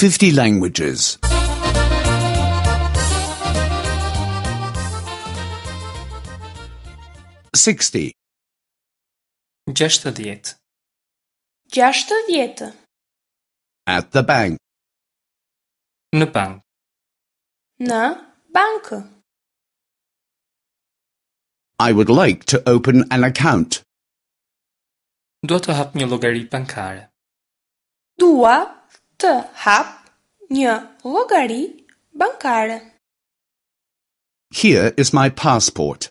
50 languages. 60. 60. 60. At the bank. Në bank. Në bankë. I would like to open an account. Dua të hap një llogari bankare. Dua të hap një llogari bankare. Here is my passport.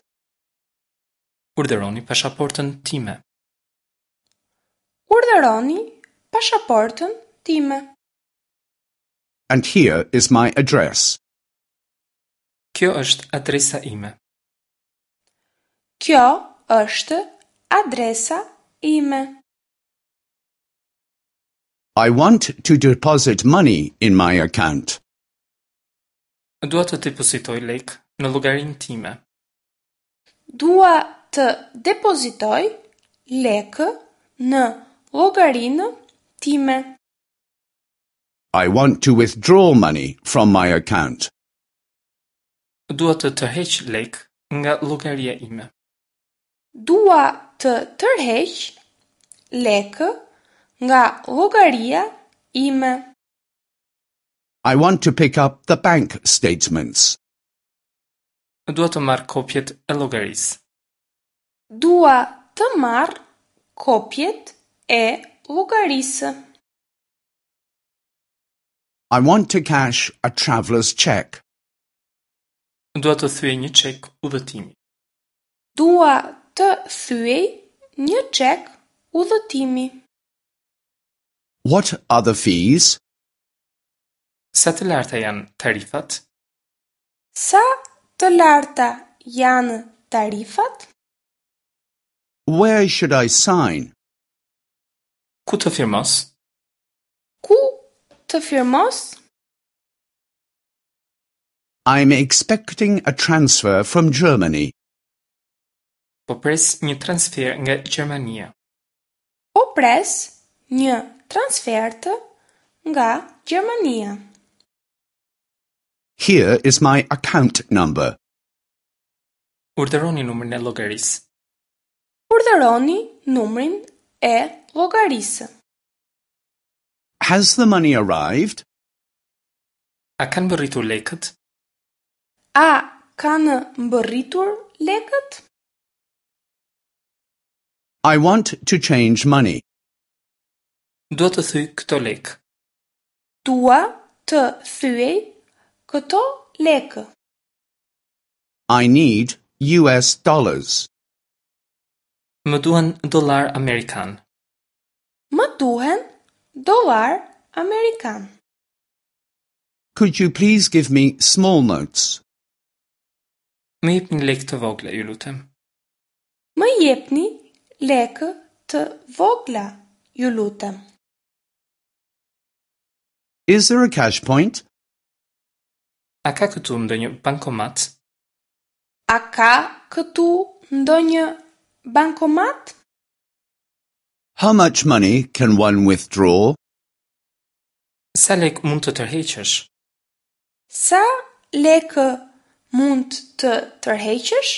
Urdhëroni pasaportën time. Urdhëroni pasaportën time. And here is my address. Kjo është adresa ime. Kjo është adresa ime. I want to deposit money in my account. Dua të depozitoj lekë në llogarinë time. Dua të depozitoj lekë në llogarinë time. I want to withdraw money from my account. Dua të tërheq lekë nga llogaria ime. Dua të tërheq lekë nga llogaria ime. I want to pick up the bank statements. Dua të marr kopjet e llogarisë. Dua të marr kopjet e llogarisë. I want to cash a traveler's check. Dua të thyej një çek udhëtimi. Dua të thyej një çek udhëtimi. What are the fees? Sa të larta janë tarifat? Sa të larta janë tarifat? Where should I sign? Ku të firmos? Ku të firmos? I'm expecting a transfer from Germany. Po pres një transfer nga Gjermania. Po pres një transfertë nga Gjermania. Here is my account number. Urdhëroni numrin e llogarisë. Urdhëroni numrin e llogarisë. Has the money arrived? A kanë mbërritur lekët? A kanë mbërritur lekët? I want to change money. Dua të thyej këto lekë. Dua të thyej këto lekë. I need US dollars. Më duhen dollar amerikan. Më duhen dollar amerikan. Could you please give me small notes? Më jepni lekë të vogla, ju lutem. Më jepni lekë të vogla, ju lutem. Is there a cash point? A ka këtu ndonjë bankomat? A ka këtu ndonjë bankomat? How much money can one withdraw? Sa lekë mund të tërheqësh? Sa lekë mund të tërheqësh?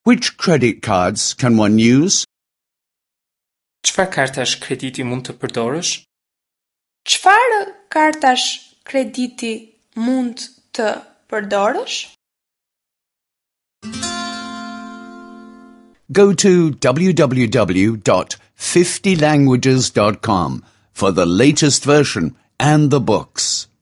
Which credit cards can one use? Çfarë kartash krediti mund të përdorësh? Çfarë kartash krediti mund të përdorësh? Go to www.50languages.com for the latest version and the books.